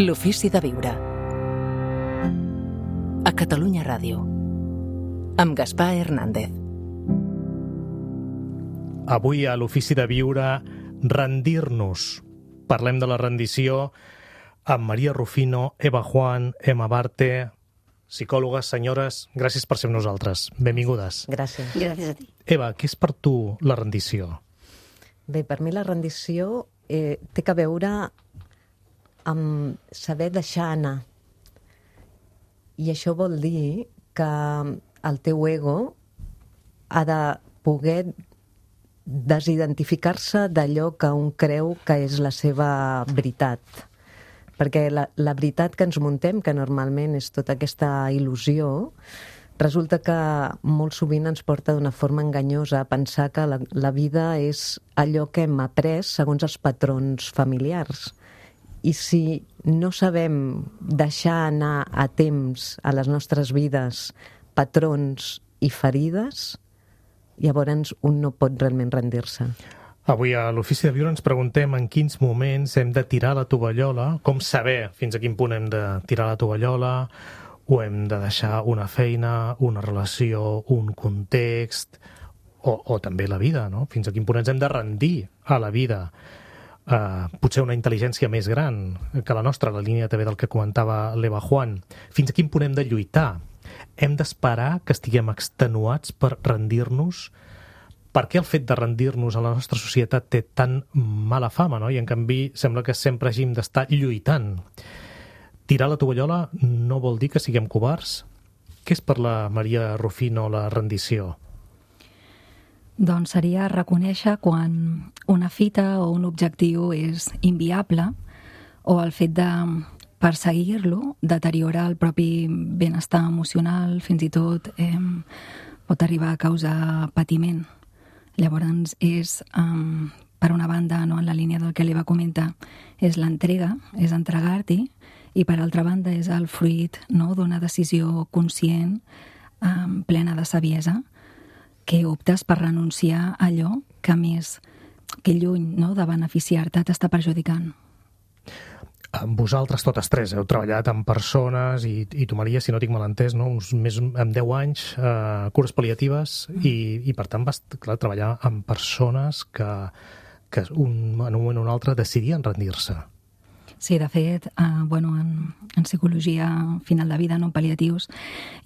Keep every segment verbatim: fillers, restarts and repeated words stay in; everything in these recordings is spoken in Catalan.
L'ofici de viure. A Catalunya Ràdio. Amb Gaspar Hernández. Avui a l'ofici de viure, rendir-nos. Parlem de la rendició amb Maria Rufino, Eva Juan, Emma Barte, psicòlogues, senyores, gràcies per ser amb nosaltres. Benvingudes. Gràcies. Gràcies a ti. Eva, què és per tu la rendició? Bé, per mi la rendició eh, té que veure amb saber deixar anar. I això vol dir que el teu ego ha de poder desidentificar-se d'allò que un creu que és la seva veritat. Perquè la, la veritat que ens muntem, que normalment és tota aquesta il·lusió, resulta que molt sovint ens porta d'una forma enganyosa a pensar que la, la vida és allò que hem après segons els patrons familiars. I si no sabem deixar anar a temps a les nostres vides patrons i ferides, llavors un no pot realment rendir-se. Avui a l'Ofici de Viure ens preguntem en quins moments hem de tirar la tovallola, com saber fins a quin punt hem de tirar la tovallola, o hem de deixar una feina, una relació, un context, o, o també la vida, no? Fins a quin punt ens hem de rendir a la vida. Uh, potser una intel·ligència més gran que la nostra, la línia també del que comentava l'Eva Juan. Fins a quin punt hem de lluitar? Hem d'esperar que estiguem extenuats per rendir-nos? Per què el fet de rendir-nos a la nostra societat té tan mala fama, no? I en canvi sembla que sempre hàgim d'estar lluitant. Tirar la tovallola no vol dir que siguem covards? Què és per la Maria Rufino la rendició? Doncs seria reconèixer quan una fita o un objectiu és inviable o el fet de perseguir-lo deteriora el propi benestar emocional, fins i tot eh, pot arribar a causar patiment. Llavors és, um, per una banda, no, en la línia del que l'Eva comenta, és l'entrega, és entregar-t'hi, i per altra banda és el fruit, no, d'una decisió conscient, um, plena de saviesa, que optes per renunciar a allò que més, que lluny, no, de beneficiar-te t'està perjudicant. Vosaltres totes tres heu treballat amb persones i, i tu, Maria, si no tinc mal entès, no? Uns més amb deu anys, eh, cures pal·liatives, mm. i, i per tant vas, clar, treballar amb persones que, que un, en un moment o un altre decidien rendir-se. Sí, de fet, eh, bueno, en, en psicologia final de vida, no en pal·liatius,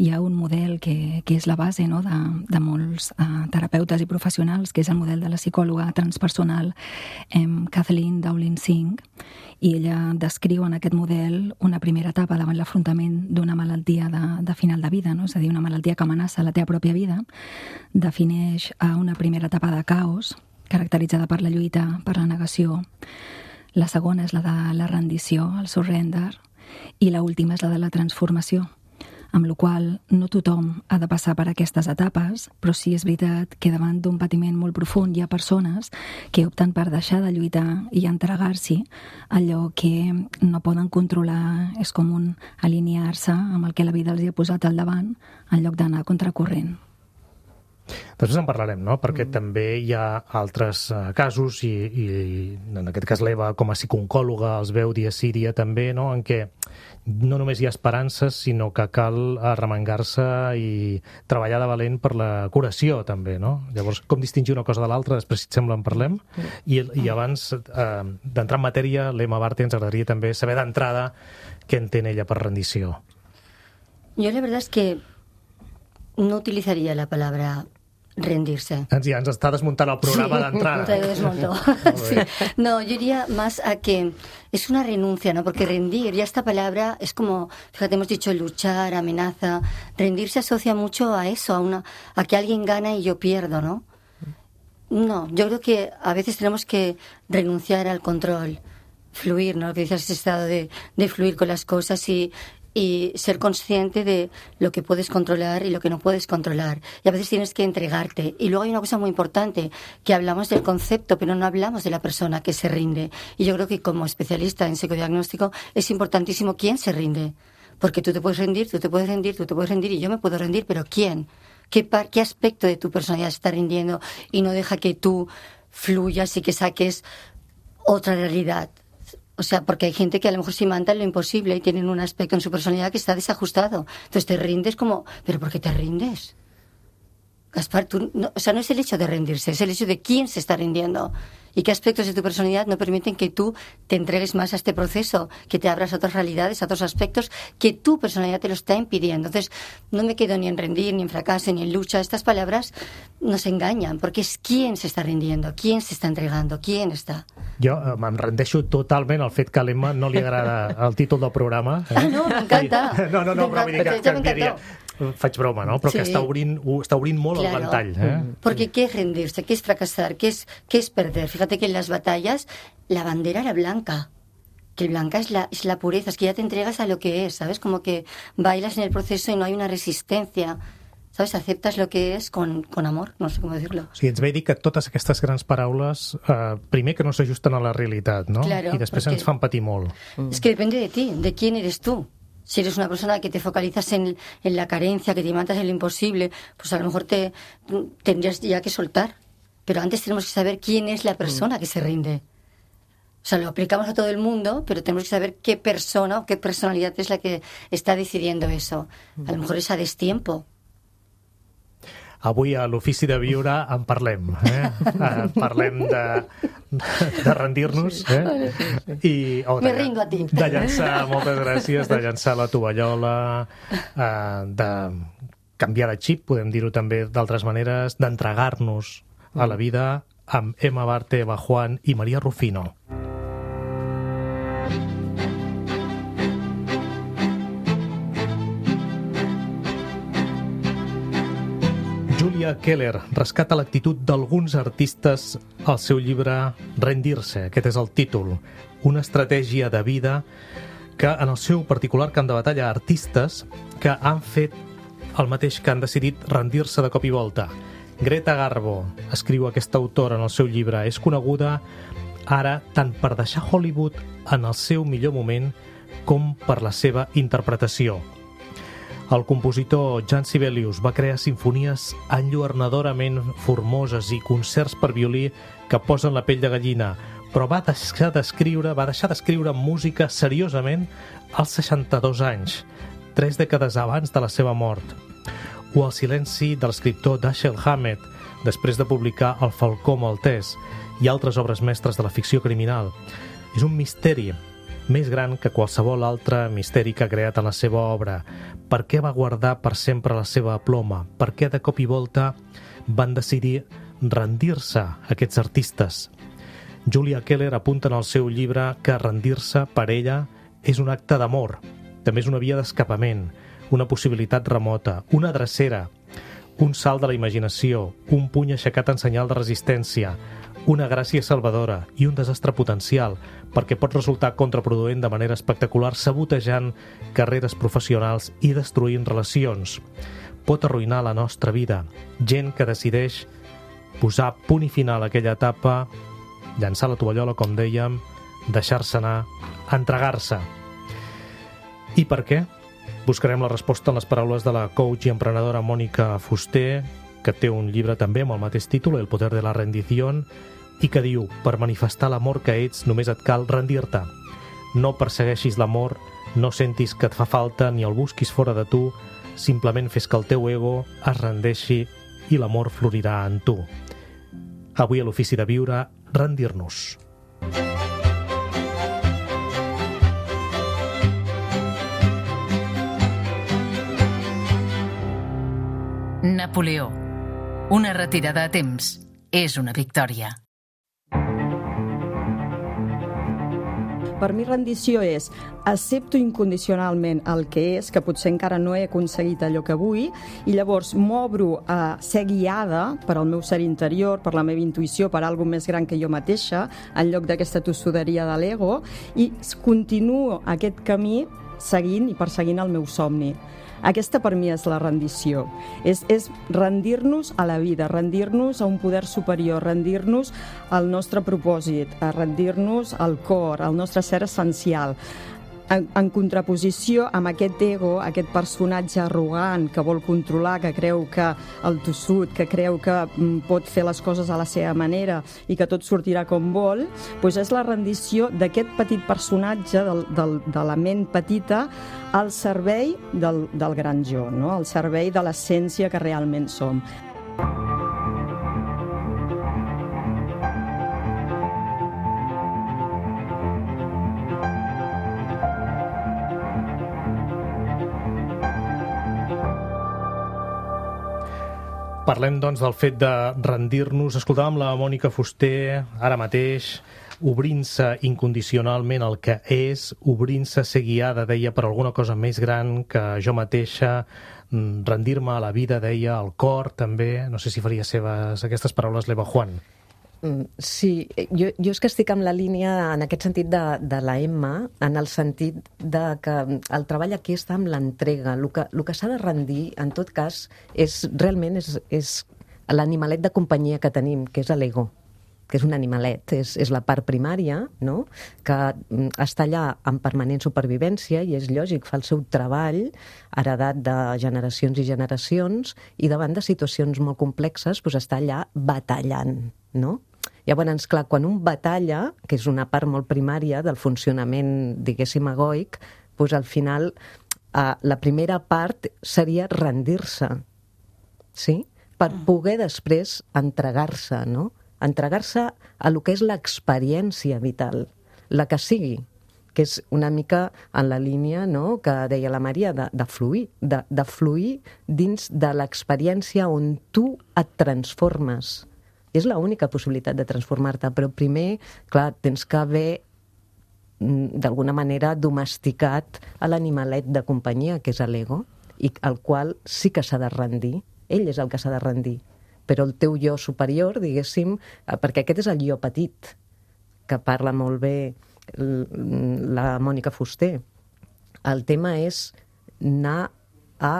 hi ha un model que, que és la base, no, de, de molts eh, terapeutes i professionals, que és el model de la psicòloga transpersonal eh, Kathleen Dowling-Singh, i ella descriu en aquest model una primera etapa davant l'afrontament d'una malaltia de, de final de vida, no? És a dir, una malaltia que amenaça la teva pròpia vida, defineix eh, una primera etapa de caos, caracteritzada per la lluita, per la negació. La segona és la de la rendició, el surrender, i la última és la de la transformació, amb la qual no tothom ha de passar per aquestes etapes, però sí és veritat que davant d'un patiment molt profund hi ha persones que opten per deixar de lluitar i entregar-s'hi allò que no poden controlar, és com un alinear-se amb el que la vida els hi ha posat al davant en lloc d'anar contracorrent. Després en parlarem, no? Perquè mm. també hi ha altres uh, casos i, i en aquest cas l'Eva com a psicooncòloga els veu dia sí dia també, no? En què no només hi ha esperances, sinó que cal arremangar-se i treballar de valent per la curació també, no? Llavors, com distingir una cosa de l'altra? Després, si et sembla, en parlem. Mm. I, i abans uh, d'entrar en matèria, l'Emma Barte ens agradaria també saber d'entrada què entén ella per rendició. Yo la verdad es que no utilizaría la palabra rendirse. Ja ens està desmuntant el programa sí, d'entrada. Te desmontó. Sí. No, yo diría más a que es una renuncia, ¿no? Porque rendir, ya esta palabra es como, fíjate, hemos dicho luchar, amenaza. Rendir se asocia mucho a eso, a una, a que alguien gana y yo pierdo, ¿no? No, yo creo que a veces tenemos que renunciar al control, fluir, ¿no? Lo que dices, ese estado de, de fluir con las cosas y y ser consciente de lo que puedes controlar y lo que no puedes controlar. Y a veces tienes que entregarte. Y luego hay una cosa muy importante, que hablamos del concepto, pero no hablamos de la persona que se rinde. Y yo creo que como especialista en psicodiagnóstico es importantísimo quién se rinde. Porque tú te puedes rendir, tú te puedes rendir, tú te puedes rendir y yo me puedo rendir, pero ¿quién? ¿Qué, par- qué aspecto de tu personalidad se está rindiendo y no deja que tú fluyas y que saques otra realidad? O O sea, porque hay gente que a lo mejor se imanta en lo imposible y tienen un aspecto en su personalidad que está desajustado. Entonces te rindes como, ¿pero por qué te rindes? Gaspar, tú no, o sea, no es el hecho de rendirse, es el hecho de quién se está rindiendo y qué aspectos de tu personalidad no permiten que tú te entregues más a este proceso, que te abras a otras realidades, a otros aspectos, que tu personalidad te lo está impidiendo. Entonces, no me quedo ni en rendir, ni en fracaso, ni en lucha. Estas palabras nos engañan, porque és quién se està rendiendo, quién se està entregando, quién està... Jo eh, me'n rendeixo totalment al fet que a l'Emma no li agrada el títol del programa. Eh? Ah, no, m'encanta. No, no, no, però vull dir que, que diria... Faig broma, no? Però sí. que està obrint, està obrint molt claro. el ventall. Eh? Porque ¿qué es rendirse? ¿Qué es fracasar? ¿Qué es, qué es perder? Fíjate que en las batallas la bandera era blanca. Que el blanca es la, es la pureza, es que ya te entregas a lo que es, ¿sabes? Como que bailas en el proceso y no hay una resistencia. ¿Sabes? Aceptas lo que es con, con amor, no sé com dir-lo. O sigui, ens ve dir que totes aquestes grans paraules, eh, primer que no s'ajusten a la realitat, no? Claro, I després porque... ens fan patir molt. Es que depende de ti, de quién eres tú. Si eres una persona que te focalizas en, en la carencia, que te imantas en lo imposible, pues a lo mejor te tendrías ya que soltar. Pero antes tenemos que saber quién es la persona que se rinde. O sea, lo aplicamos a todo el mundo, pero tenemos que saber qué persona o qué personalidad es la que está decidiendo eso. A lo mejor es a destiempo. Avui a l'Ofici de Viure en parlem. Eh? Uh, parlem de, de rendir-nos. Eh? I, oh, Me rindo a ti. De llançar, moltes gràcies, de llançar la tovallola, uh, de canviar de xip, podem dir-ho també d'altres maneres, d'entregar-nos a la vida amb Emma Barte, Eva Juan i Maria Rufino. Julia Keller rescata l'actitud d'alguns artistes al seu llibre Rendir-se, aquest és el títol, una estratègia de vida que en el seu particular camp de batalla artistes que han fet el mateix que han decidit rendir-se de cop i volta. Greta Garbo, escriu aquesta autora en el seu llibre, és coneguda ara tant per deixar Hollywood en el seu millor moment com per la seva interpretació. El compositor Jan Sibelius va crear sinfonies enlluernadorament formoses i concerts per violí que posen la pell de gallina, però va deixar d'escriure, va deixar d'escriure música seriosament als seixanta-dos anys, tres dècades abans de la seva mort. O el silenci de l'escriptor Dashiell Hammett, després de publicar El Falcó Maltès i altres obres mestres de la ficció criminal. És un misteri més gran que qualsevol altre misteri que ha creat en la seva obra. Per què va guardar per sempre la seva ploma? Per què de cop i volta van decidir rendir-se aquests artistes? Julia Keller apunta en el seu llibre que rendir-se per ella és un acte d'amor. També és una via d'escapament, una possibilitat remota, una drecera, un salt de la imaginació, un puny aixecat en senyal de resistència, una gràcia salvadora i un desastre potencial, perquè pot resultar contraproduent de manera espectacular, sabotejant carreres professionals i destruint relacions. Pot arruïnar la nostra vida. Gent que decideix posar punt i final a aquella etapa, llançar la tovallola, com dèiem, deixar-se anar, entregar-se. I per què? Buscarem la resposta en les paraules de la coach i emprenedora Mònica Fuster, que té un llibre també amb el mateix títol, El poder de la rendición, i que diu, per manifestar l'amor que ets només et cal rendir-te. No persegueixis l'amor, no sentis que et fa falta ni el busquis fora de tu, simplement fes que el teu ego es rendeixi i l'amor florirà en tu. Avui a l'Ofici de Viure, rendir-nos. Napoleó. Una retirada a temps és una victòria. Per mi rendició és accepto incondicionalment el que és, que potser encara no he aconseguit allò que vull, i llavors m'obro a ser guiada per al meu ser interior, per la meva intuïció, per algo més gran que jo mateixa, en lloc d'aquesta tossuderia de l'ego, i continuo aquest camí seguint i perseguint el meu somni. Aquesta per mi és la rendició. És, és rendir-nos a la vida, rendir-nos a un poder superior, rendir-nos al nostre propòsit, a rendir-nos al cor, al nostre ser essencial. en, en contraposició amb aquest ego, aquest personatge arrogant que vol controlar, que creu que el tossut, que creu que mm, pot fer les coses a la seva manera i que tot sortirà com vol, doncs és la rendició d'aquest petit personatge del, del, de la ment petita al servei del, del gran jo, no? Al servei de l'essència que realment som. Parlem, doncs, del fet de rendir-nos. Escoltàvem la Mònica Fuster, ara mateix, obrint-se incondicionalment al que és, obrint-se a ser guiada, deia, per alguna cosa més gran que jo mateixa, rendir-me a la vida, deia, al cor, també. No sé si faria seves aquestes paraules l'Eva Juan. Sí, jo, jo és que estic amb la línia en aquest sentit de, de la Emma, en el sentit de que el treball aquí està amb l'entrega. El que, el que s'ha de rendir, en tot cas, és realment és, és l'animalet de companyia que tenim, que és l'ego, que és un animalet, és, és la part primària, no? Que està allà en permanent supervivència i és lògic, fa el seu treball heredat de generacions i generacions i davant de situacions molt complexes doncs està allà batallant, no? Llavors, clar, quan un batalla, que és una part molt primària del funcionament, diguéssim, egoic, doncs al final eh, la primera part seria rendir-se, sí? Per poder després entregar-se, no? Entregar-se a lo que és l'experiència vital, la que sigui, que és una mica en la línia, no?, que deia la Maria, de, de fluir, de, de fluir dins de l'experiència on tu et transformes. I és l'única possibilitat de transformar-te, però primer, clar, tens que haver d'alguna manera domesticat a l'animalet de companyia, que és l'ego, i al qual sí que s'ha de rendir. Ell és el que s'ha de rendir. Però el teu jo superior, diguéssim, perquè aquest és el jo petit, que parla molt bé la Mònica Fuster. El tema és anar a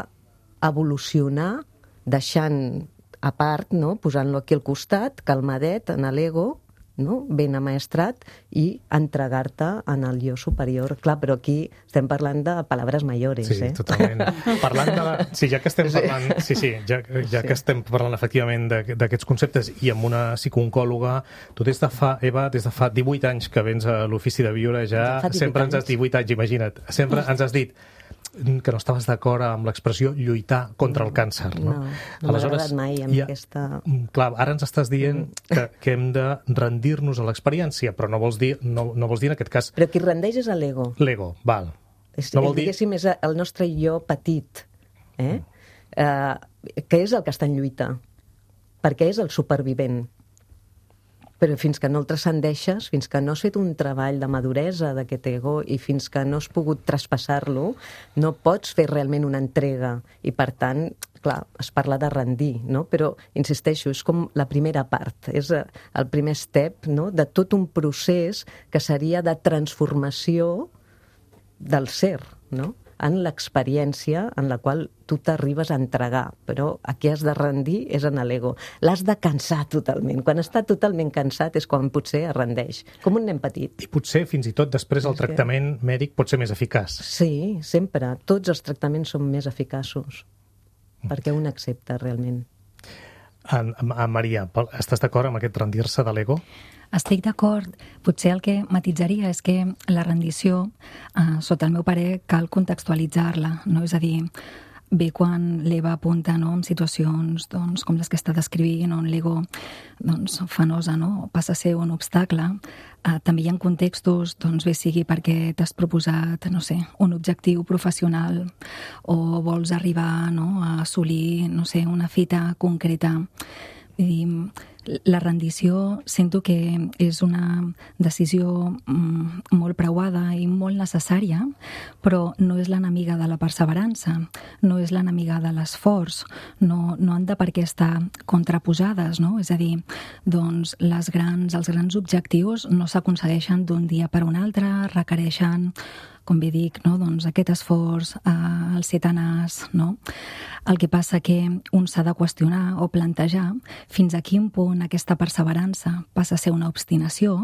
evolucionar deixant a part, no? Posant-lo aquí al costat, calmadet, en l'ego, no? Ben amaestrat, i entregar-te en el jo superior. Clar, però aquí estem parlant de palabras mayores, sí, eh? Sí, totalment. Parlant de la... Sí, ja que estem parlant... Sí, sí, ja, ja sí. que estem parlant efectivament d'aquests conceptes i amb una psicooncòloga, tu des de fa, Eva, des de fa divuit anys que vens a l'ofici de viure, ja sempre ens has dit divuit anys, imagina't, sempre ens has dit que no estaves d'acord amb l'expressió lluitar contra el càncer, no? No, no m'ha agradat mai amb ja, aquesta... Clar, ara ens estàs dient que, que hem de rendir-nos a l'experiència, però no vols dir, no, no vols dir en aquest cas... Però qui rendeix és l'ego. L'ego, val. És, no vol dir... Diguéssim, és el nostre jo petit, eh? Uh, que és el que està en lluita, perquè és el supervivent. Però fins que no el transcendeixes, fins que no has fet un treball de maduresa d'aquest ego i fins que no has pogut traspassar-lo, no pots fer realment una entrega. I, per tant, clar, es parla de rendir, no? Però, insisteixo, és com la primera part, és el primer step, no?, de tot un procés que seria de transformació del ser, no?, en l'experiència en la qual tu t'arribes a entregar, però aquí has de rendir és en l'ego. L'has de cansar totalment. Quan està totalment cansat és quan potser es rendeix, com un nen petit. I potser, fins i tot, després el tractament mèdic pot ser més eficaç. Sí, sempre. Tots els tractaments són més eficaços, perquè un accepta realment. En, en Maria, estàs d'acord amb aquest rendir-se de l'ego? Estic d'acord. Potser el que matitzaria és que la rendició, eh, sota el meu parer, cal contextualitzar-la, no? És a dir, bé quan l'Eva apunta, no?, en situacions doncs, com les que està descrivint, on l'ego doncs, fa nosa, no?, passa a ser un obstacle, eh, també hi ha contextos, doncs bé sigui perquè t'has proposat, no sé, un objectiu professional o vols arribar, no?, a assolir, no sé, una fita concreta. Vull dir, la rendició sento que és una decisió mm, molt preuada i molt necessària, però no és l'enemiga de la perseverança, no és l'enemiga de l'esforç, no, no han de per què estar contraposades, no? És a dir, doncs les grans, els grans objectius no s'aconsegueixen d'un dia per un altre, requereixen, com bé dic, no? Doncs aquest esforç, eh, el ser tenaç, no? El que passa que un s'ha de qüestionar o plantejar fins a quin punt aquesta perseverança passa a ser una obstinació,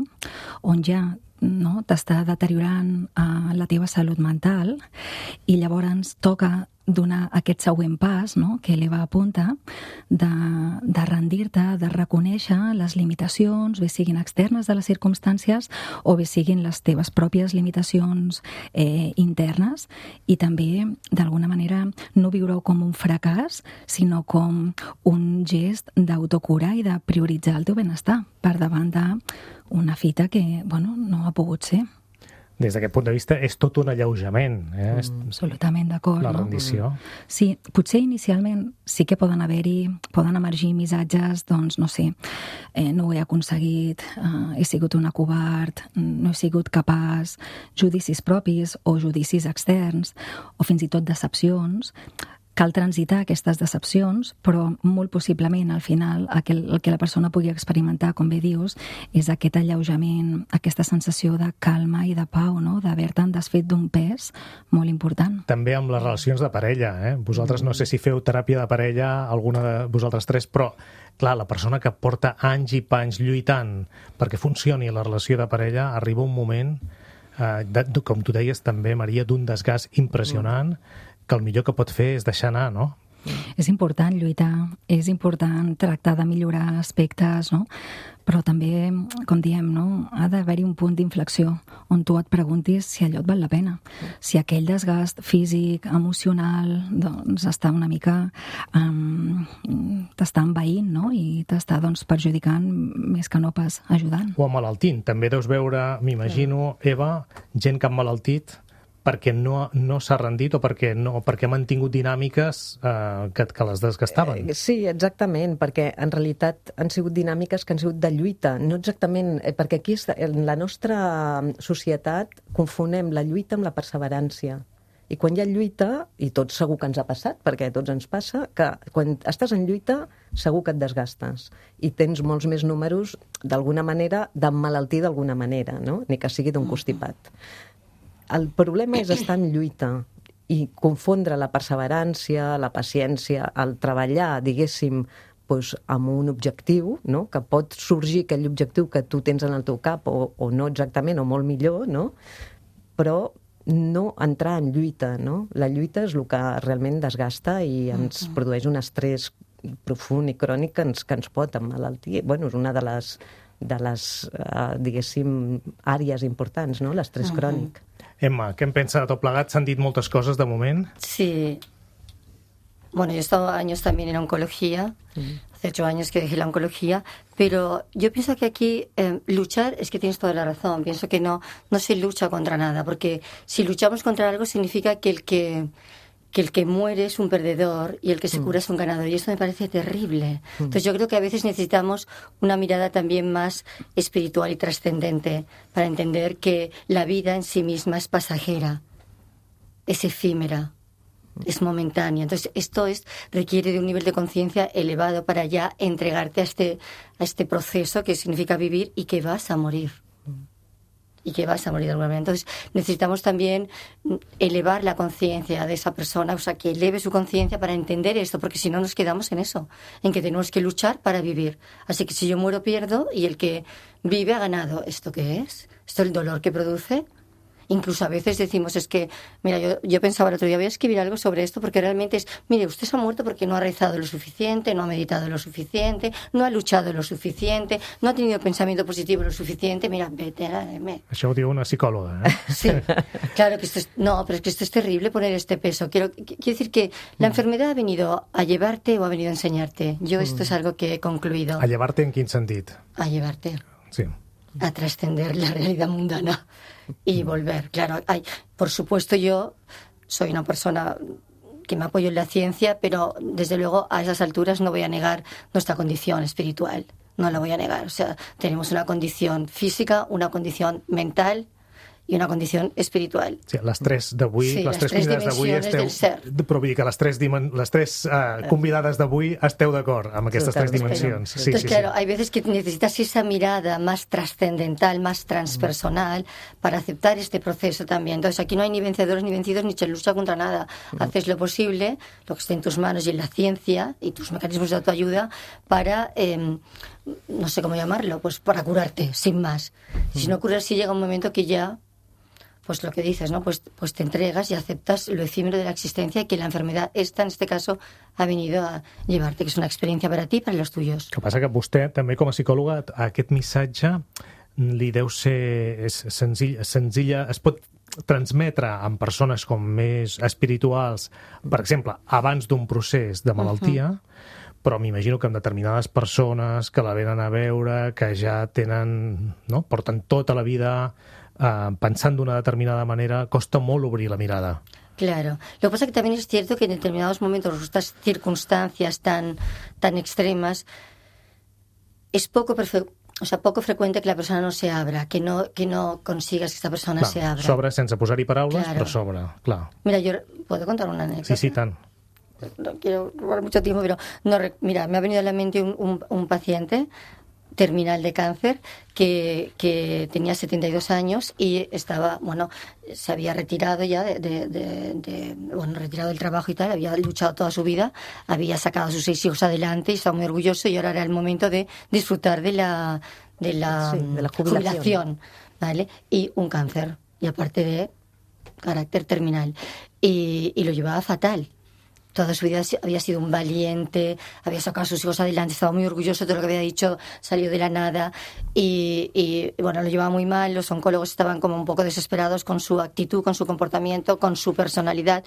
on ja no, t'està deteriorant uh, la teva salut mental i llavors toca donar aquest següent pas, no?, que l'Eva apunta, de, de rendir-te, de reconèixer les limitacions, bé siguin externes de les circumstàncies o bé siguin les teves pròpies limitacions eh, internes, i també, d'alguna manera, no viure-ho com un fracàs, sinó com un gest d'autocura i de prioritzar el teu benestar per davant d'una fita que, bueno, no ha pogut ser. Des d'aquest punt de vista, és tot un alleujament. Eh? Mm, absolutament d'acord. La no? rendició. Sí, potser inicialment sí que poden haver-hi, poden emergir missatges, doncs, no sé, eh, no ho he aconseguit, eh, he sigut una covard, no he sigut capaç, judicis propis o judicis externs, o fins i tot decepcions. Cal transitar aquestes decepcions, però molt possiblement al final el que, el que la persona pugui experimentar, com bé dius, és aquest alleujament, aquesta sensació de calma i de pau, no?, d'haver-te'n desfet d'un pes molt important. També amb les relacions de parella. Eh? Vosaltres no sé si feu teràpia de parella, alguna de vosaltres tres, però clar, la persona que porta anys i panys lluitant perquè funcioni la relació de parella, arriba un moment, eh, de, com tu deies també, Maria, d'un desgast impressionant, mm. que el millor que pot fer és deixar anar, no? És important lluitar, és important tractar de millorar aspectes, no? Però també, com diem, no?, ha d'haver-hi un punt d'inflexió on tu et preguntis si allò et val la pena. Si aquell desgast físic, emocional, doncs està una mica... Um, t'està envaint, no?, i t'està, doncs, perjudicant més que no pas ajudant. O emmalaltint. També deus veure, m'imagino, Eva, gent que ha emmalaltit perquè no, no s'ha rendit o perquè, no, perquè ha mantingut dinàmiques eh, que, que les desgastaven. Eh, sí, exactament, perquè en realitat han sigut dinàmiques que han sigut de lluita, no exactament, eh, perquè aquí en la nostra societat confonem la lluita amb la perseverància. I quan hi ha lluita, i tot segur que ens ha passat, perquè a tots ens passa, que quan estàs en lluita segur que et desgastes i tens molts més números, d'alguna manera, d'emmalaltir d'alguna manera, no?, ni que sigui d'un constipat. El problema és estar en lluita i confondre la perseverància, la paciència, el treballar, diguéssim, doncs, amb un objectiu, no?, que pot sorgir aquell objectiu que tu tens en el teu cap, o, o no exactament, o molt millor, no?, però no entrar en lluita, no? La lluita és el que realment desgasta i ens mm-hmm. produeix un estrès profund i crònic que ens, que ens pot emmalaltir. Bueno, és una de les, de les uh, diguéssim, àrees importants, no?, l'estrès mm-hmm. crònic. Emma, què en pensa de tot plegat? S'han dit moltes coses de moment. Sí. Bueno, yo he estado años también en oncología, mm. hace ocho años que dejé la oncología, pero yo pienso que aquí eh, luchar, es que tienes toda la razón, pienso que no, no se lucha contra nada, porque si luchamos contra algo significa que el que... que el que muere es un perdedor y el que se cura es un ganador, y esto me parece terrible. Entonces yo creo que a veces necesitamos una mirada también más espiritual y trascendente para entender que la vida en sí misma es pasajera, es efímera, es momentánea. Entonces esto es, requiere de un nivel de conciencia elevado para ya entregarte a este, a este proceso que significa vivir y que vas a morir. Y que vas a morir de alguna manera. Entonces necesitamos también elevar la conciencia de esa persona, o sea, que eleve su conciencia para entender esto, porque si no nos quedamos en eso, en que tenemos que luchar para vivir. Así que si yo muero, pierdo, y el que vive ha ganado. ¿Esto qué es? ¿Esto es el dolor que produce? Incluso a veces decimos, es que, mira, yo, yo pensaba el otro día, voy a escribir algo sobre esto, porque realmente es, mire, usted se ha muerto porque no ha rezado lo suficiente, no ha meditado lo suficiente, no ha luchado lo suficiente, no ha tenido pensamiento positivo lo suficiente, mira, vete a la M. Això ho diu una psicòloga, eh? Sí, claro que esto es, no, pero es que esto es terrible poner este peso. Quiero, quiero decir que la enfermedad ha venido a llevarte o ha venido a enseñarte. Yo esto es algo que he concluido. A llevarte en quin sentit? A llevarte. Sí. A trascender la realidad mundana y volver. Claro, hay, por supuesto yo soy una persona que me apoyo en la ciencia, pero desde luego a esas alturas no voy a negar nuestra condición espiritual, no la voy a negar. O sea, tenemos una condición física, una condición mental i una condició espiritual. Sí, les tres d'avui, sí, les, les tres convidades d'avui esteu... Però vull dir que les tres, dimen... les tres uh, convidades d'avui esteu d'acord amb aquestes tres dimensions. Sí, Entonces, sí, claro, sí. Hay veces que necesitas esa mirada más trascendental, más transpersonal, mm. para aceptar este proceso también. Entonces, aquí no hay ni vencedores ni vencidos, ni se lucha contra nada. Mm. Haces lo posible, lo que esté en tus manos y en la ciencia y tus mecanismos de autoayuda para... Eh, no sé cómo llamarlo, pues para curarte, sin más. Si no curas, si llega un momento que ya, pues lo que dices, ¿no? Pues, pues te entregas y aceptas lo efímero de la existencia y que la enfermedad esta, en este caso, ha venido a llevarte, que és una experiència per a ti i per a los tuyos. El que passa que vostè, també com a psicòloga, aquest missatge li deu ser és senzill, senzilla, es pot transmetre en persones com més espirituals, per exemple, abans d'un procés de malaltia, uh-huh. però m'imagino que en determinades persones que la venen a veure, que ja tenen, no? Porten tota la vida eh, pensant d'una determinada manera, costa molt obrir la mirada. Claro. Lo que pasa es que también es cierto que en determinados momentos, estas circunstancias tan, tan extremas, es poco perfecto. O sea, poco frecuente que la persona no se abra, que no, que no consigas que esta persona clar, se abra. S'obre sense posar-hi paraules, claro. Però s'obre, clar. Mira, yo puedo contar una anécdota. Sí, sí, tant. No quiero robar mucho tiempo, pero no, mira, me ha venido a la mente un, un, un paciente terminal de cáncer que, que tenía setenta y dos años y estaba, bueno, se había retirado ya de, de, de, de, bueno, retirado del trabajo y tal, había luchado toda su vida, había sacado a sus seis hijos adelante y estaba muy orgulloso y ahora era el momento de disfrutar de la, de la, sí, de la jubilación. jubilación, ¿vale? Y un cáncer, y aparte de carácter terminal. Y, y lo llevaba fatal. Toda su vida había sido un valiente, había sacado a sus hijos adelante, estaba muy orgulloso de todo lo que había dicho, salió de la nada y, y bueno, lo llevaba muy mal, los oncólogos estaban como un poco desesperados con su actitud, con su comportamiento, con su personalidad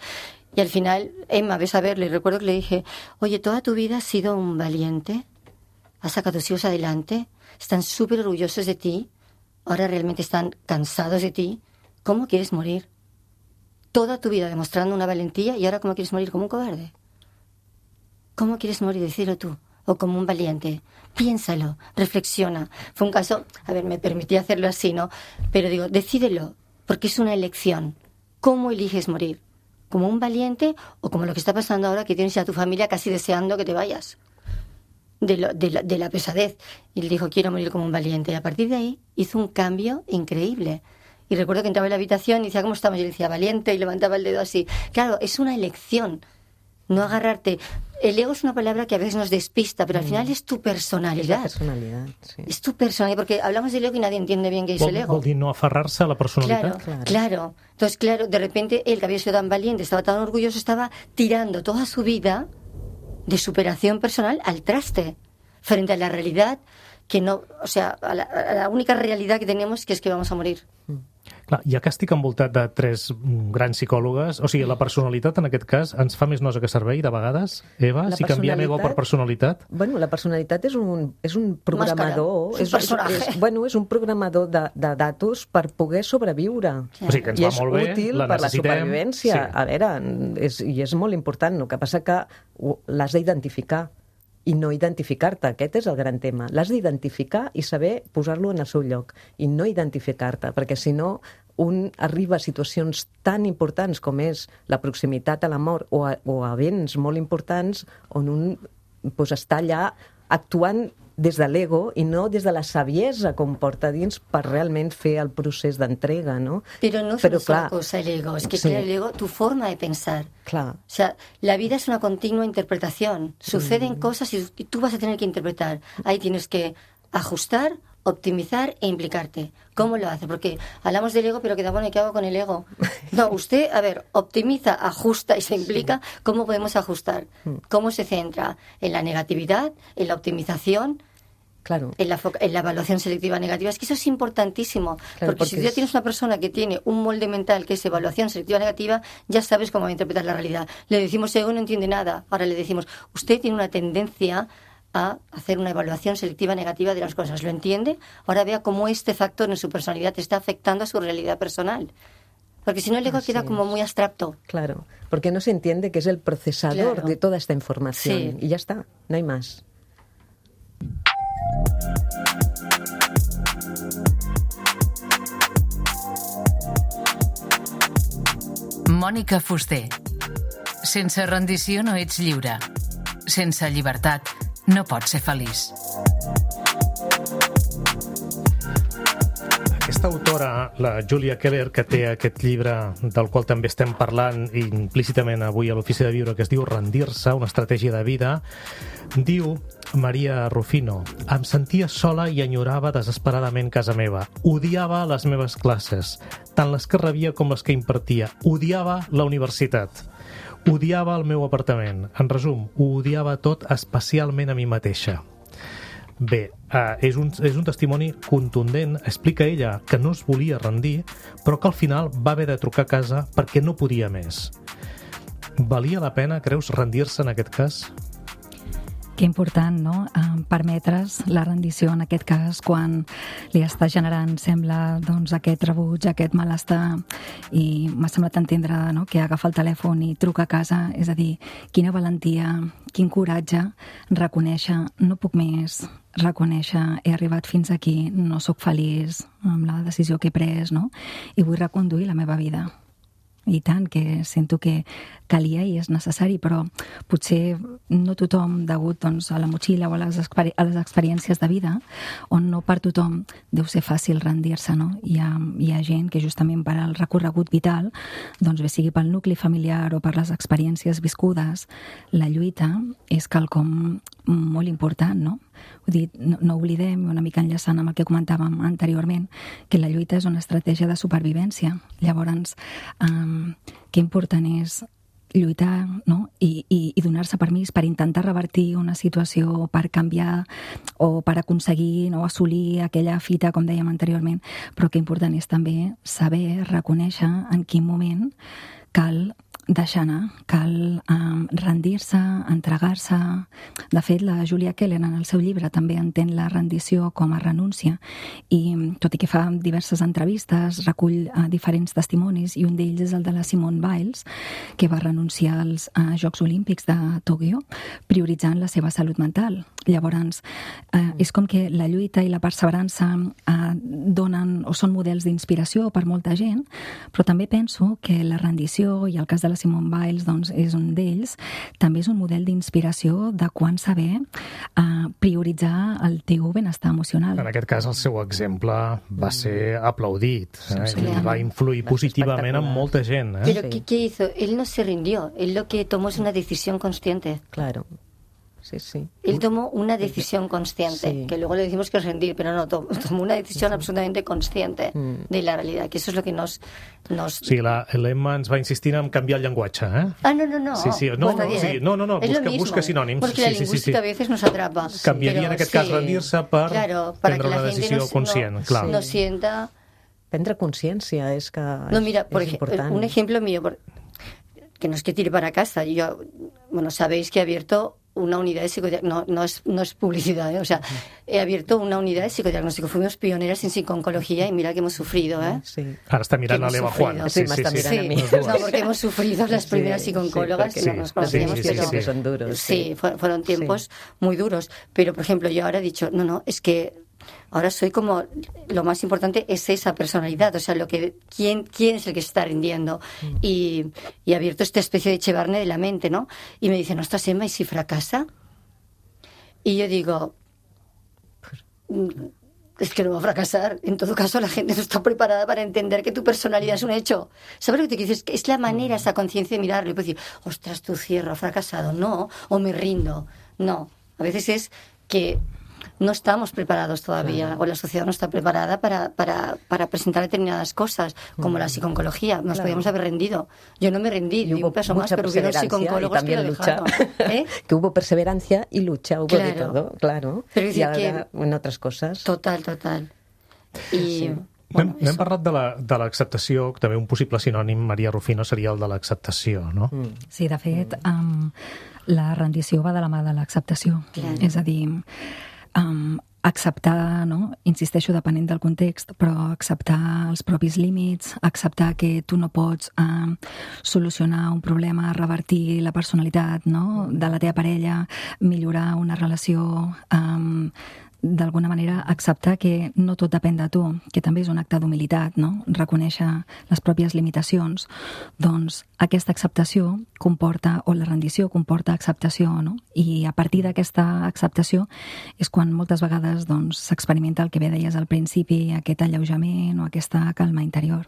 y al final, Emma, ves a verle, y recuerdo que le dije, oye, toda tu vida has sido un valiente, has sacado a tus hijos adelante, están súper orgullosos de ti, ahora realmente están cansados de ti, ¿cómo quieres morir? Toda tu vida demostrando una valentía y ahora ¿cómo quieres morir? ¿Como un cobarde? ¿Cómo quieres morir? Decirlo tú. O como un valiente. Piénsalo, reflexiona. Fue un caso, a ver, me permití hacerlo así, ¿no? Pero digo, decídelo, porque es una elección. ¿Cómo eliges morir? ¿Como un valiente o como lo que está pasando ahora que tienes a tu familia casi deseando que te vayas? De, lo, de, la, de la pesadez. Y él dijo, quiero morir como un valiente. Y a partir de ahí hizo un cambio increíble. Y recuerdo que entraba en la habitación y decía, ¿cómo estamos? Y yo decía, valiente, y levantaba el dedo así. Claro, es una elección, no agarrarte. El ego es una palabra que a veces nos despista, pero al final es tu personalidad. Es la personalidad, sí. Es tu personalidad, porque hablamos del ego y nadie entiende bien qué es el ego. Vol dir no aferrar-se a la personalitat? Claro, claro, claro. Entonces, claro, de repente él, que había sido tan valiente, estaba tan orgulloso, estaba tirando toda su vida de superación personal al traste, frente a la realidad que no, o sea, a la, a la única realidad que tenemos, que es que vamos a morir. Clar, ja que estic envoltat de tres grans psicòlogues, o sigui, la personalitat en aquest cas ens fa més nosa que servei de vegades, Eva, La si canviem ego per personalitat? Bueno, la personalitat és un, és un programador, és un personatge. És, és, bueno, és un programador de, de datos per poder sobreviure. Sí. O sigui, que ens I va és molt bé, útil la per la necessitem. supervivència. Sí. A veure, és, i és molt important. El que passa que l'has d'identificar i no identificar-te. Aquest és el gran tema. L'has d'identificar i saber posar-lo en el seu lloc i no identificar-te, perquè si no un arriba a situacions tan importants com és la proximitat a la mort o a, o a events molt importants on un pues, està allà actuant des de l'ego i no des de la saviesa com porta dins per realment fer el procés d'entrega, ¿no? Pero no es Pero, una sola clar, cosa el ego, es que sí. claro, el ego, tu forma de pensar. Clar. O sea, la vida es una continua interpretación. Suceden mm. cosas y, y tú vas a tener que interpretar. Ahí tienes que ajustar, optimizar e implicarte. ¿Cómo lo hace? Porque hablamos del ego, pero queda bueno, ¿y qué hago con el ego? No, usted, a ver, optimiza, ajusta y se implica. ¿Cómo podemos ajustar? ¿Cómo se centra? ¿En la negatividad? ¿En la optimización? Claro. En la, en la evaluación selectiva negativa. Es que eso es importantísimo. Claro, porque, porque si tú ya es... tienes una persona que tiene un molde mental que es evaluación selectiva negativa, ya sabes cómo va a interpretar la realidad. Le decimos, ego no entiende nada. Ahora le decimos, usted tiene una tendencia a hacer una evaluación selectiva negativa de las cosas. ¿Lo entiende? Ahora vea cómo este factor en su personalidad está afectando a su realidad personal. Porque si no el ego Así queda como es. muy abstracto. Claro, porque no se entiende que es el procesador Claro. de toda esta información. Sí. Y ya está, no hay más. Mònica Fuster. Sense rendició no ets lliure. Sense llibertat no pots ser feliç. Aquesta autora, la Julia Keller, que té aquest llibre del qual també estem parlant implícitament avui a l'Ofici de Viure, que es diu Rendir-se, una estratègia de vida, diu Maria Rufino. Em sentia sola i enyorava desesperadament casa meva. Odiava les meves classes, tant les que rebia com les que impartia. Odiava la universitat. Odiava el meu apartament. En resum, ho odiava tot, especialment a mi mateixa. Bé, uh, és, un, és un testimoni contundent. Explica ella que no es volia rendir, però que al final va haver de trucar a casa perquè no podia més. Valia la pena, creus, rendir-se en aquest cas? Que important, no?, eh, permetre's la rendició en aquest cas quan li està generant, sembla, doncs, aquest rebuig, aquest malestar, i m'ha semblat entendre, no?, que agafa el telèfon i truca a casa. És a dir, quina valentia, quin coratge reconèixer, no puc més, reconèixer, he arribat fins aquí, no sóc feliç amb la decisió que he pres, no?, i vull reconduir la meva vida. I tant, que sento que calia i és necessari, però potser no tothom, degut, doncs, a la motxilla o a les, experi a les experiències de vida, on no per tothom deu ser fàcil rendir-se, no? Hi ha, hi ha gent que justament per al recorregut vital, doncs bé sigui pel nucli familiar o per les experiències viscudes, la lluita és quelcom molt important, no? Vull dir, no, no oblidem, una mica enllaçant amb el que comentàvem anteriorment, que la lluita és una estratègia de supervivència. Llavors, um, que important és lluitar, no?, i, i, i donar-se permís per intentar revertir una situació, per canviar o per aconseguir, no?, assolir aquella fita, com dèiem anteriorment, però que important és també saber, reconèixer en quin moment cal deixar anar, cal um, rendir-se, entregar-se. De fet, la Julia Keller en el seu llibre també entén la rendició com a renúncia i, tot i que fa diverses entrevistes, recull uh, diferents testimonis, i un d'ells és el de la Simone Biles, que va renunciar als uh, Jocs Olímpics de Tòquio prioritzant la seva salut mental. Llavors, uh, és com que la lluita i la perseverança uh, donen o són models d'inspiració per molta gent, però també penso que la rendició, i el cas de la Simone Biles doncs, és un d'ells, també és un model d'inspiració de quan saber uh, prioritzar el teu benestar emocional. En aquest cas, el seu exemple va ser aplaudit, eh? Sí, I va influir positivament en molta gent. Eh? Pero ¿qué, ¿qué hizo? Él no se rindió, él lo que tomó es una decisión consciente. Claro. Sí, sí. Él tomó una decisión consciente, sí. que luego le decimos que es rendir, pero no, tomó, tomó una decisión sí. absolutamente consciente mm. de la realidad, que eso es lo que nos... nos... Sí, l'Emma ens va insistir en canviar el llenguatge, eh? Ah, no, no, no. Sí, sí, no, pues no, sí, no, no, no, es busca, lo mismo, busca sinònims. Porque sí, la sí, lingüística sí, sí. a veces nos atrapa. Canviaria en aquest cas sí, rendir-se per claro, para prendre que la una decisió no, conscient, no, clar. No sienta... Prendre consciència és que No, mira, por és ejemplo, important. un ejemplo mío, por, que no es que tire para casa. Yo, bueno, sabéis que he abierto una unidad de psicodiagnóstico, no, no, es, no es publicidad, ¿eh? O sea, he abierto una unidad de psicodiagnóstico. Fuimos pioneras en psiconcología y mira que hemos sufrido, ¿eh? Sí. Ara està mirant a l'Eva Juan. Sí, m'està mirant a mi. Sí, no, porque hemos sufrido las primeras sí, psiconcólogas, sí, que no nos conocíamos. Sí, sí, sí, pero, que son duros. Sí, Sí, fueron tiempos sí. muy duros. Pero, por ejemplo, yo ahora he dicho, no, no, es que ahora soy como, lo más importante es esa personalidad, o sea, lo que quién, quién es el que se está rindiendo. Mm. Y, y he abierto esta especie de Chevarne de la mente, ¿no? Y me dicen, ostras, Emma, ¿y si fracasa? Y yo digo, es que no va a fracasar. En todo caso, la gente no está preparada para entender que tu personalidad es un hecho. ¿Sabes lo que te dices? Es la manera, esa conciencia de mirarlo y puedes decir, ostras, tú cierro, ha fracasado. No, o me rindo. No, a veces es que no estamos preparados todavía, claro. o la sociedad no está preparada para, para, para presentar determinadas cosas, como mm. la psiconcología. Nos claro. podíamos haber rendido. Yo no me rendí, ni un paso más, pero hubieron psicólogos que lo dejaron. ¿Eh? Que hubo perseverancia y lucha, hubo claro. de todo, claro. Pero y ahora que... en otras cosas. Total, total. I... Sí. Bueno, N'hem parlat de l'acceptació, també un possible sinònim, Maria Rufino, seria el de l'acceptació, no? Mm. Sí, de fet, um, la rendició va de la mà de l'acceptació. Claro. És a dir, Um, acceptar, no? Insisteixo, depenent del context, però acceptar els propis límits, acceptar que tu no pots uh, solucionar un problema, revertir la personalitat, no? de la teva parella, millorar una relació, um, d'alguna manera acceptar que no tot depèn de tu, que també és un acte d'humilitat, no? Reconèixer les pròpies limitacions. Doncs aquesta acceptació comporta, o la rendició comporta acceptació, no? I a partir d'aquesta acceptació és quan moltes vegades doncs, s'experimenta el que bé deies al principi, aquest alleujament o aquesta calma interior.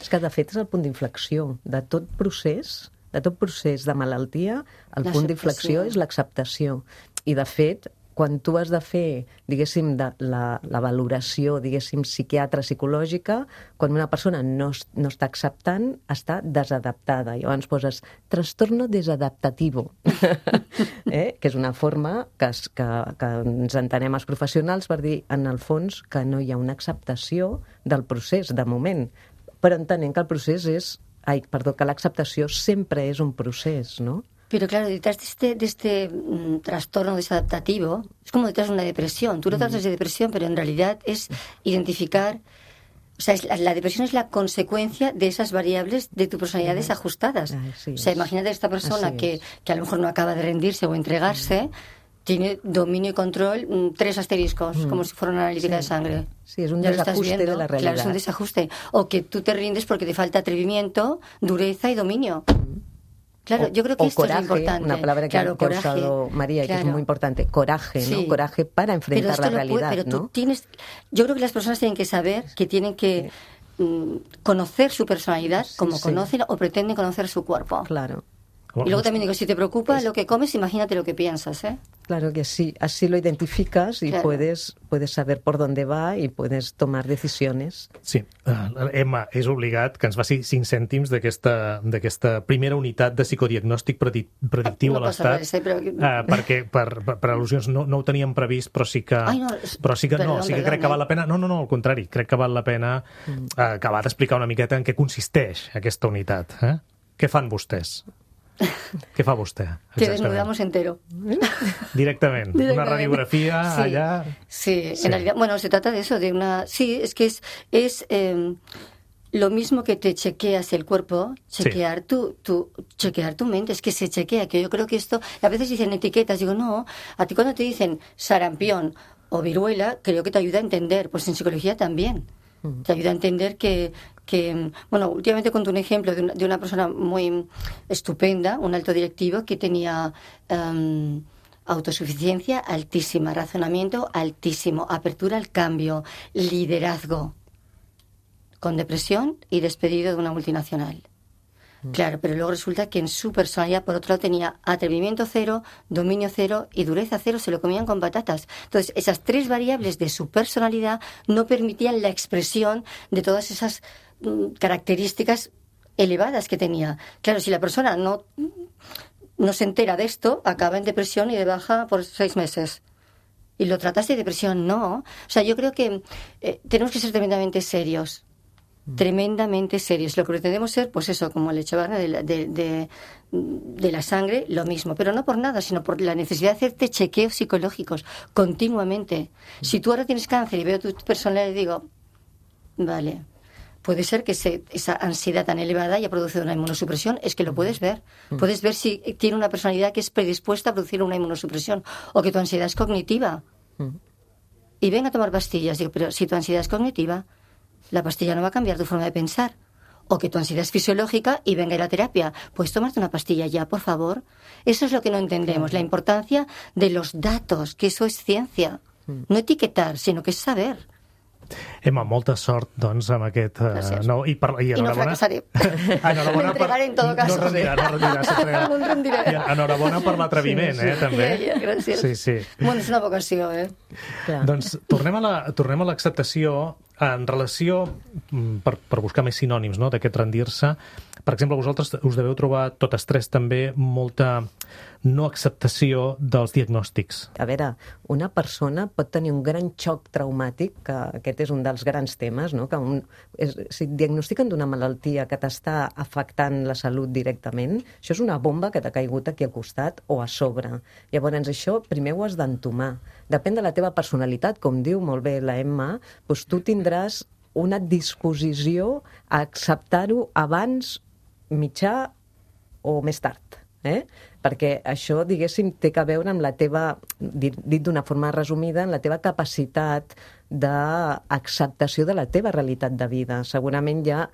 És que de fet és el punt d'inflexió de tot procés, de tot procés de malaltia, el punt d'inflexió és l'acceptació. I, de fet, quan tu has de fer, diguéssim, de la, la valoració, diguéssim, psiquiatra, psicològica, quan una persona no, no està acceptant, està desadaptada. I llavors poses trastorno desadaptativo, eh? que és una forma que, es, que, que ens entenem els professionals per dir, en el fons, que no hi ha una acceptació del procés, de moment. Però entenent que el procés és... Ai, perdó, que l'acceptació sempre és un procés, no? Pero claro, detrás de este, de este mm, trastorno desadaptativo, es como detrás de una depresión. Tú lo tratas de depresión, pero en realidad es identificar... O sea, es, la, la depresión es la consecuencia de esas variables de tu personalidad desajustadas. Así o sea, es. imagínate esta persona Así que, es. que a lo mejor no acaba de rendirse o entregarse, tiene dominio y control, mm, tres asteriscos, Mm. como si fuera una analítica Sí. de sangre. Sí, es un Ya lo estás desajuste viendo. de la realidad. Claro, es un desajuste. O que tú te rindes porque te falta atrevimiento, dureza y dominio. Claro, o, yo creo que o esto coraje, es lo importante. una palabra que, claro, que ha coraje, usado María, claro. que es muy importante. Coraje, ¿no? Sí. Coraje para enfrentar pero esto la lo puede- realidad, pero tú ¿no? tienes, yo creo que las personas tienen que saber que tienen que mm, conocer su personalidad Sí, como sí. conocen o pretenden conocer su cuerpo. Claro. Y luego también digo, si te preocupa lo que comes, imagínate lo que piensas, ¿eh? Claro que sí, así lo identificas y Claro. puedes, puedes saber por dónde va y puedes tomar decisiones. Sí, uh, Emma, és obligat que ens faci cinc cèntims d'aquesta d'aquesta primera unitat de psicodiagnòstic predi predictiu No a passa l'Estat, res, eh, però- uh, perquè per, per, per al·lusions no, no ho teníem previst, però sí que, Ai, no, és- però sí que, no, perdó, sí que perdó, crec que eh? val la pena... No, no, no, al contrari, crec que val la pena uh, acabar d'explicar una miqueta en què consisteix aquesta unitat. Eh? Què fan vostès? Què fa vostè? Te desnudamos entero. Directament. Una Directamente. radiografía Sí, allá... Sí, Sí. en realidad, bueno, se trata de eso, de una... Sí, es que es, es eh, lo mismo que te chequeas el cuerpo, chequear, tu, tu, chequear tu mente, es que se chequea, que yo creo que esto... A veces dicen etiquetas, digo, no, a ti cuando te dicen sarampión o viruela, creo que te ayuda a entender, pues en psicología también. Te ayuda a entender que, que bueno, últimamente cuento un ejemplo de una, de una persona muy estupenda, un alto directivo que tenía um, autosuficiencia altísima, razonamiento altísimo, apertura al cambio, liderazgo, con depresión y despedido de una multinacional. Claro, pero luego resulta que en su personalidad, por otro lado, tenía atrevimiento cero, dominio cero y dureza cero, se lo comían con patatas. Entonces, esas tres variables de su personalidad no permitían la expresión de todas esas mm, características elevadas que tenía. Claro, si la persona no, no se entera de esto, acaba en depresión y de baja por seis meses. ¿Y lo tratas de depresión? No. O sea, yo creo que eh, tenemos que ser tremendamente serios. Tremendamente serios. Lo que pretendemos ser, pues eso, como el Echevarne de, la- de, de, de la sangre, lo mismo. Pero no por nada, sino por la necesidad de hacerte chequeos psicológicos continuamente. Si tú ahora tienes cáncer y veo tu personalidad y digo, vale, puede ser que se, esa ansiedad tan elevada haya producido una inmunosupresión, es que lo puedes ver. Puedes ver si tiene una personalidad que es predispuesta a producir una inmunosupresión o que tu ansiedad es cognitiva. Y ven a tomar pastillas. Digo, pero si tu ansiedad es cognitiva, la pastilla no va a cambiar tu forma de pensar. O que tu ansiedad es fisiológica y venga a la terapia. Puedes tomarte una pastilla ya, por favor. Eso es lo que no entendemos, la importancia de los datos, que eso es ciencia. No etiquetar, sino que es saber. Emma, molta sort, doncs, amb aquest... Uh, Gràcies. no, i, per, i I no enhorabona... fracasaré. Ah, enhorabona Me entregaré en todo caso. No es rendirà, no es rendirà. s'entregarà. No em rendiré. I enhorabona per l'atreviment, Sí, sí. eh, també. Ja, ja, gràcies. Sí, sí. Bueno, és una vocació, eh? Clar. Doncs tornem a la- tornem a l'acceptació en relació, mm, per, per buscar més sinònims, no?, d'aquest rendir-se. Per exemple, vosaltres us deveu trobar totes tres també molta no acceptació dels diagnòstics. A veure, una persona pot tenir un gran xoc traumàtic, que aquest és un dels grans temes, no? Que un, és, si et diagnostiquen d'una malaltia que t'està afectant la salut directament, això és una bomba que t'ha caigut aquí al costat o a sobre. Llavors, això primer ho has d'entomar. Depèn de la teva personalitat, com diu molt bé la Emma, doncs tu tindràs una disposició a acceptar-ho abans, mitjà o més tard. Eh? Perquè això, diguéssim, té a veure amb la teva, dit, dit d'una forma resumida, en la teva capacitat d'acceptació de la teva realitat de vida. Segurament ja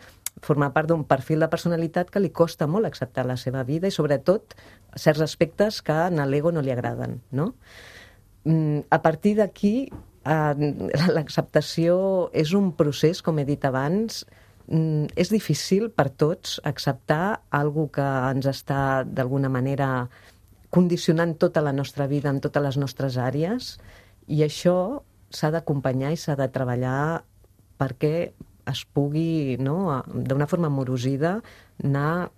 forma part d'un perfil de personalitat que li costa molt acceptar la seva vida i, sobretot, certs aspectes que a l'ego no li agraden, no? A partir d'aquí, l'acceptació és un procés, com he dit abans. És difícil per tots acceptar algo que ens està d'alguna manera condicionant tota la nostra vida en totes les nostres àrees, i això s'ha d'acompanyar i s'ha de treballar perquè es pugui, no, d'una forma amorosida, anar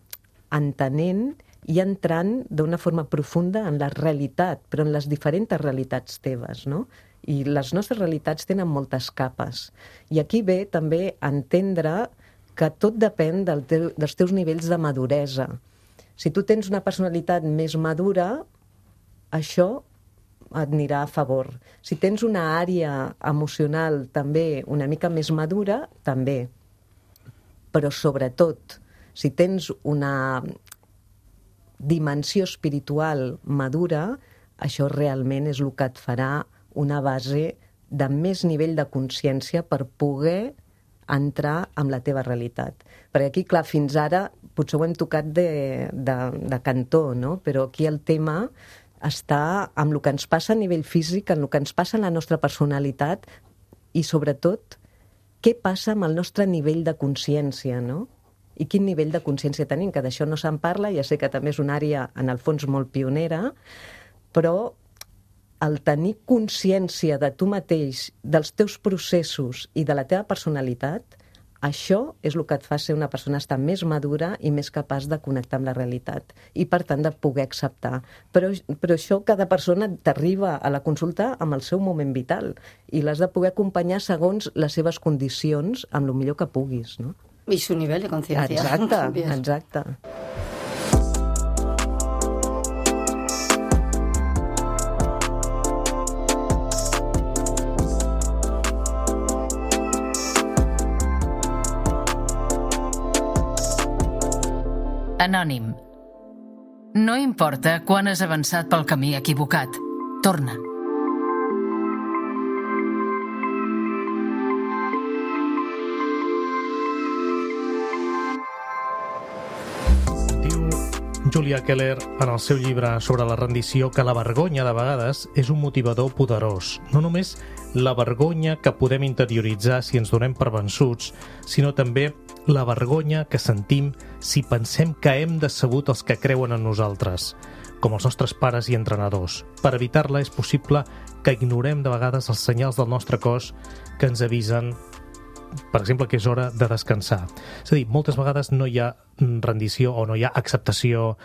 entenent i entrant d'una forma profunda en la realitat, però en les diferents realitats teves, no? I les nostres realitats tenen moltes capes. I aquí ve també entendre que tot depèn del teu, dels teus nivells de maduresa. Si tu tens una personalitat més madura, això et anirà a favor. Si tens una àrea emocional també una mica més madura, també. Però sobretot, si tens una dimensió espiritual madura, això realment és el que et farà una base de més nivell de consciència per poder entrar en la teva realitat. Perquè aquí, clar, fins ara potser ho hem tocat de, de, de cantó, no? Però aquí el tema està amb el que ens passa a nivell físic, en el que ens passa en la nostra personalitat i, sobretot, què passa amb el nostre nivell de consciència, no? I quin nivell de consciència tenim, que d'això no se'n parla, ja sé que també és una àrea, en el fons, molt pionera, però el tenir consciència de tu mateix, dels teus processos i de la teva personalitat, això és el que et fa ser una persona estar més madura i més capaç de connectar amb la realitat i, per tant, de poder acceptar. Però, però això cada persona t'arriba a la consulta amb el seu moment vital i l'has de poder acompanyar segons les seves condicions amb el millor que puguis, no? I su nivell de consciència. Exacte, exacte. Anònim. No importa quan has avançat pel camí equivocat. Torna. Diu Julia Keller en el seu llibre sobre la rendició que la vergonya de vegades és un motivador poderós. No només la vergonya que podem interioritzar si ens donem per vençuts, sinó també la vergonya que sentim si pensem que hem decebut els que creuen en nosaltres, com els nostres pares i entrenadors. Per evitar-la és possible que ignorem de vegades els senyals del nostre cos que ens avisen, per exemple, que és hora de descansar. És a dir, moltes vegades no hi ha rendició o no hi ha acceptació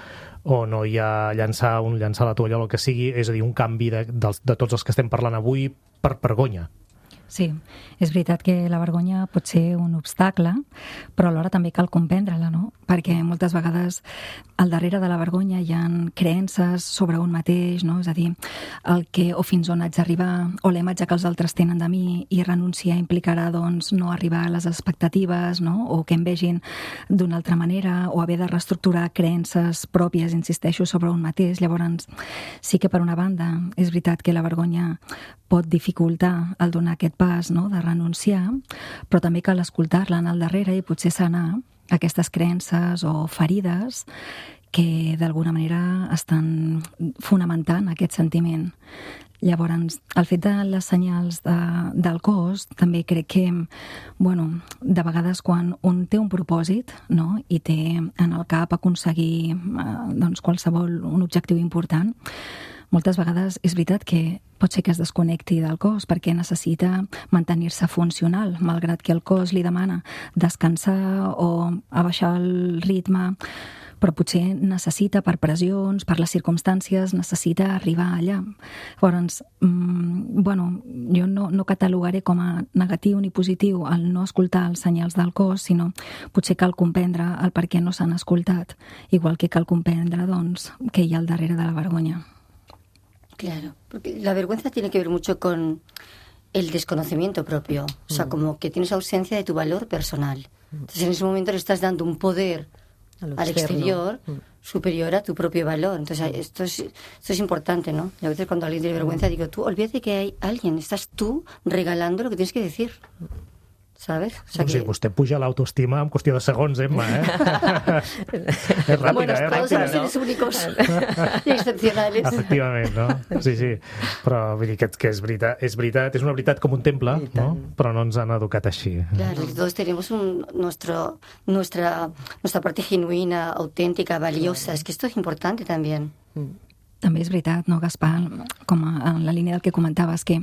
o no hi ha llançar, un, llançar la tovallola o el que sigui, és a dir, un canvi de, de, de tots els que estem parlant avui per vergonya. Sí, és veritat que la vergonya pot ser un obstacle, però alhora també cal comprendre-la, no? Perquè moltes vegades al darrere de la vergonya hi ha creences sobre un mateix, no? És a dir, el que o fins on haig d'arribar o la imatge que els altres tenen de mi, i renunciar implicarà, doncs, no arribar a les expectatives, no? O que em vegin d'una altra manera, o haver de reestructurar creences pròpies, insisteixo, sobre un mateix. Llavors, sí que per una banda és veritat que la vergonya pot dificultar el donar aquest pas, no?, de renunciar, però també cal escoltar-la en el darrere i potser sanar aquestes creences o ferides que d'alguna manera estan fonamentant aquest sentiment. Llavors, el fet de les senyals de, del cos, també crec que, bueno, de vegades quan un té un propòsit, no?, i té en el cap aconseguir eh, doncs qualsevol un objectiu important, moltes vegades és veritat que pot ser que es desconnecti del cos perquè necessita mantenir-se funcional, malgrat que el cos li demana descansar o abaixar el ritme, però potser necessita, per pressions, per les circumstàncies, necessita arribar allà. Llavors, mmm, bueno, jo no, no catalogaré com a negatiu ni positiu el no escoltar els senyals del cos, sinó potser cal comprendre el per què no s'han escoltat, igual que cal comprendre, doncs, què hi ha al darrere de la vergonya. Claro, porque la vergüenza tiene que ver mucho con el desconocimiento propio, o sea, mm. como que tienes ausencia de tu valor personal. Entonces, en ese momento le estás dando un poder al exterior mm. superior a tu propio valor. Entonces, esto es, esto es importante, ¿no? Y a veces cuando alguien tiene vergüenza, digo, tú, olvídate que hay alguien, estás tú regalando lo que tienes que decir. ¿Sabes? O sea, no sé, que... vostè puja l'autoestima en qüestió de segons, Emma, eh? És ràpida, bueno, eh? Todos somos seres únicos i excepcionals. Efectivament, no? Sí, sí. Però vull dir que, que és, veritat, és veritat, és una veritat com un temple, no? Però no ens han educat així. Claro, todos tenemos un, nuestro, nuestra, nuestra parte genuina, auténtica, valiosa. Es que esto es importante también. també és veritat, no, Gaspar? Com a, en la línia del que comentaves, que,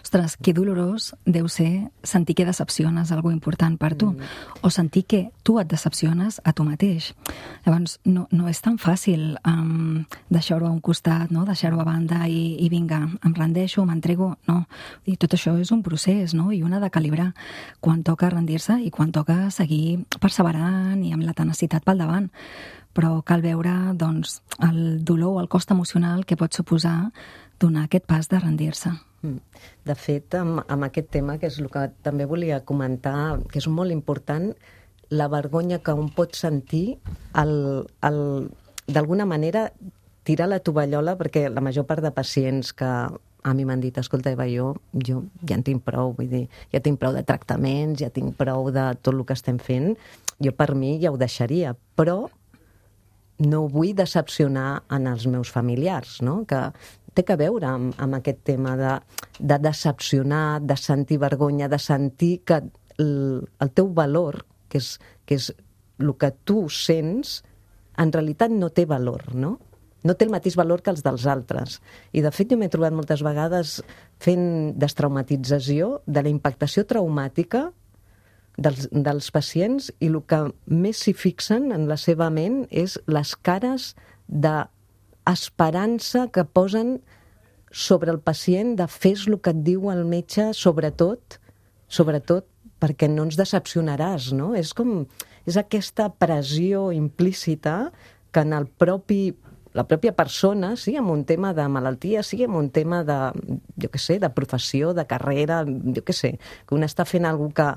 ostres, que dolorós deu ser sentir que decepciones algú important per tu, mm. o sentir que tu et decepciones a tu mateix. Llavors, no, no és tan fàcil um, deixar-ho a un costat, no? Deixar-ho a banda i, i vinga, em rendeixo, m'entrego, no. I tot això és un procés, no? I un ha de calibrar quan toca rendir-se i quan toca seguir perseverant i amb la tenacitat pel davant. Però cal veure, doncs, el dolor o el cost emocional que pot suposar donar aquest pas de rendir-se. De fet, amb, amb aquest tema, que és el que també volia comentar, que és molt important, la vergonya que un pot sentir, el, el, d'alguna manera, tirar la tovallola, perquè la major part de pacients que a mi m'han dit, escolta, Eva, jo, jo ja en tinc prou, vull dir, ja tinc prou de tractaments, ja tinc prou de tot el que estem fent, jo per mi ja ho deixaria, però no vull decepcionar en els meus familiars, no? Que té a veure amb, amb aquest tema de, de decepcionar, de sentir vergonya, de sentir que el, el teu valor, que és, que és el que tu sents, en realitat no té valor, no? No té el mateix valor que els dels altres. I, de fet, jo m'he trobat moltes vegades fent destraumatització de la impactació traumàtica Dels, dels pacients, i el que més s'hi fixen en la seva ment és les cares d'esperança que posen sobre el pacient, de fes el que et diu el metge, sobretot, sobretot perquè no ens decepcionaràs, no? És com, és aquesta pressió implícita que en el propi, la pròpia persona, sí, amb un tema de malaltia, sí, amb un tema de, jo què sé, de professió, de carrera, jo què sé, que un està fent alguna que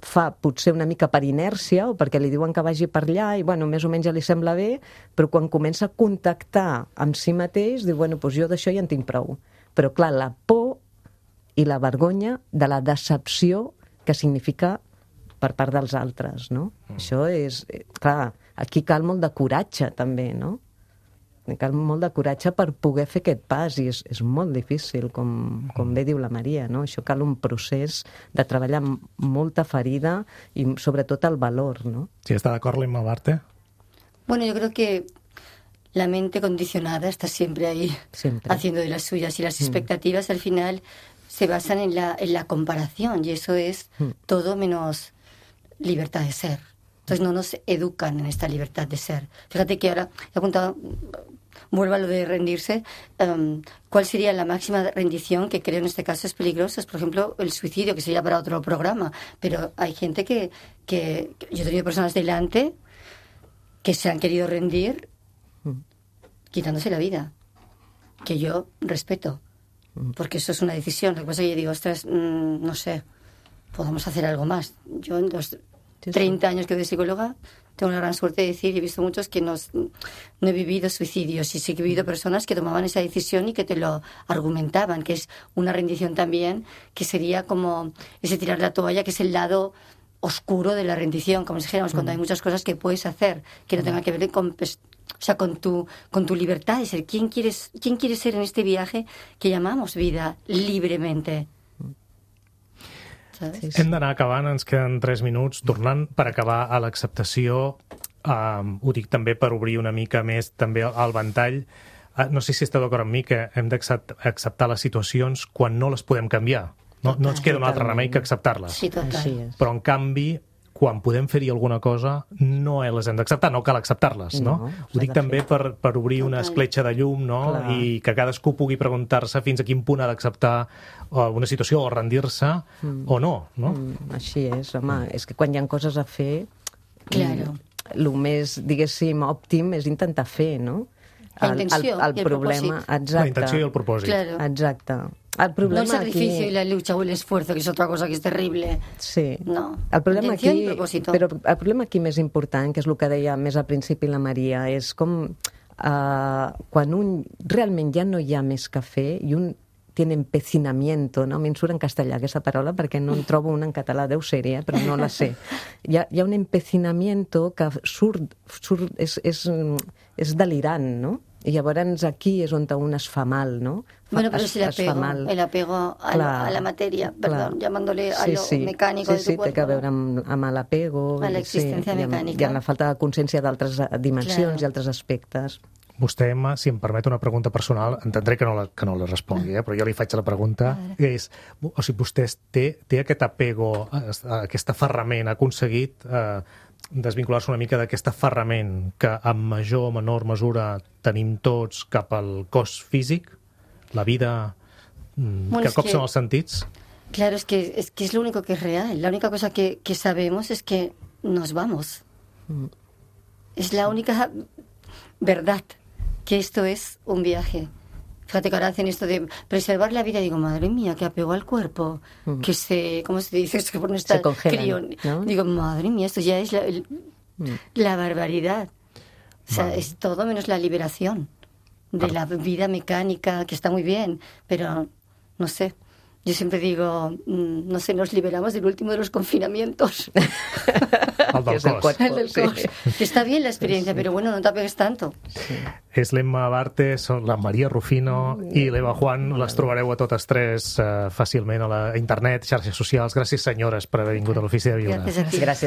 fa potser una mica per inèrcia o perquè li diuen que vagi per allà i, bueno, més o menys ja li sembla bé, però quan comença a contactar amb si mateix, diu, bueno, doncs jo d'això ja en tinc prou. Però, clar, la por i la vergonya de la decepció que significa per part dels altres, no? Mm. Això és... Clar, aquí cal molt de coratge, també, no? Cal molt de coratge per poder fer aquest pas, i és, és molt difícil, com, com bé diu la Maria, no? Això cal un procés de treballar amb molta ferida i sobretot el valor, no? Sí, ¿está de acuerdo, Inma Barte? Bueno, yo creo que la mente condicionada está siempre ahí, siempre haciendo de las suyas, y las expectativas mm. al final se basan en la, en la comparación, y eso es mm. todo menos libertad de ser. Entonces no nos educan en esta libertad de ser. Fíjate que ahora he apuntado, vuelvo a lo de rendirse, um, ¿cuál sería la máxima rendición? Que creo en este caso es peligroso. Es, por ejemplo, el suicidio, que sería para otro programa. Pero hay gente que, que... Yo he tenido personas delante que se han querido rendir quitándose la vida, que yo respeto, porque eso es una decisión. Lo que pasa es que yo digo, ostras, mmm, no sé, podemos hacer algo más. Yo en los treinta años que soy psicóloga tengo la gran suerte de decir, he visto muchos que no, no he vivido suicidios, y sí que he vivido personas que tomaban esa decisión y que te lo argumentaban, que es una rendición también, que sería como ese tirar la toalla, que es el lado oscuro de la rendición, como si dijéramos, mm. cuando hay muchas cosas que puedes hacer que no tengan que ver con, o sea, con tu, con tu libertad de ser. ¿Quién quieres, quién quieres ser en este viaje que llamamos vida libremente? Sí, sí. Hem d'anar acabant, ens queden tres minuts. Tornant per acabar a l'acceptació, um, ho dic també per obrir una mica més també el ventall. Uh, no sé si esteu d'acord amb mi que hem d'acceptar les situacions quan no les podem canviar. No, no ens queda un altre remei que acceptar-les. Sí, total. Però, en canvi, quan podem fer-hi alguna cosa, no les hem d'acceptar, no cal acceptar-les, no? no Ho dic també per, per obrir una escletxa de llum, no? Clar. I que cadascú pugui preguntar-se fins a quin punt ha d'acceptar una situació o rendir-se mm. o no, no? Mm, així és, home, mm. és que quan hi ha coses a fer, claro. el més, diguéssim, òptim és intentar fer, no? La intenció el, el, el i el problema, propòsit. Exacte. La intenció i el propòsit. Claro. Exacte. El problema no el sacrificio aquí... y la lucha o el esfuerzo, que es otra cosa que es terrible. Sí. No. El problema aquí, propòsito. però el problema aquí més important, que és el que deia més al principi la Maria, és com uh, quan un realment ja no hi ha més que fer i un tiene empecinamiento, no? A mi em surt en castellà aquesta paraula perquè no en trobo una en català, deu ser, eh? Però no la sé. Hi ha, hi ha un empecinamiento que surt, surt és, és, és delirant, no? I llavors aquí és on un es fa mal, ¿no? Bueno, pero es el apego, el apego a, clar, la, a la materia, perdón, clar. llamándole a sí, lo sí. mecánico sí, de tu sí, cuerpo. Sí, té a veure amb, amb l'apego. A l'existència sí, mecànica. I amb, i amb la falta de consciència d'altres dimensions claro. i altres aspectes. Vostè, Emma, si em permet una pregunta personal, entendré que no la, que no la respongui, eh? però jo li faig la pregunta, és, o sigui, vostè té, té aquest apego, aquest aferrament, ha aconseguit eh, desvincular-se una mica d'aquest aferrament que en major o menor mesura tenim tots cap al cos físic, la vida bueno, que cops que... són els sentits? Claro, es que, es que es lo único que es real. La única cosa que, que sabemos es que nos vamos. Mm. Es la única verdad, que esto es un viaje. Fíjate que ahora hacen esto de preservar la vida. Digo, madre mía, que apego al cuerpo, mm. que se, ¿cómo se dice? Es que por no estar se congelan, ¿no? Digo, madre mía, esto ya es la, el, mm. la barbaridad. O sea, vale. Es todo menos la liberación de la vida mecánica, que está muy bien, pero no sé. Yo siempre digo, no sé, nos liberamos del último de los confinamientos. El del cos. Cuerpo, el del cos. Sí. Está bien la experiencia, sí. Pero bueno, no te apegues tanto. Sí. És l'Emma Bartes, la Maria Rufino i l'Eva Juan. Les trobareu a totes tres uh, fàcilment a la internet, xarxes socials. Gràcies, senyores, per haver vingut a l'Ofici de Viure. Gràcies a ti. Gràcies.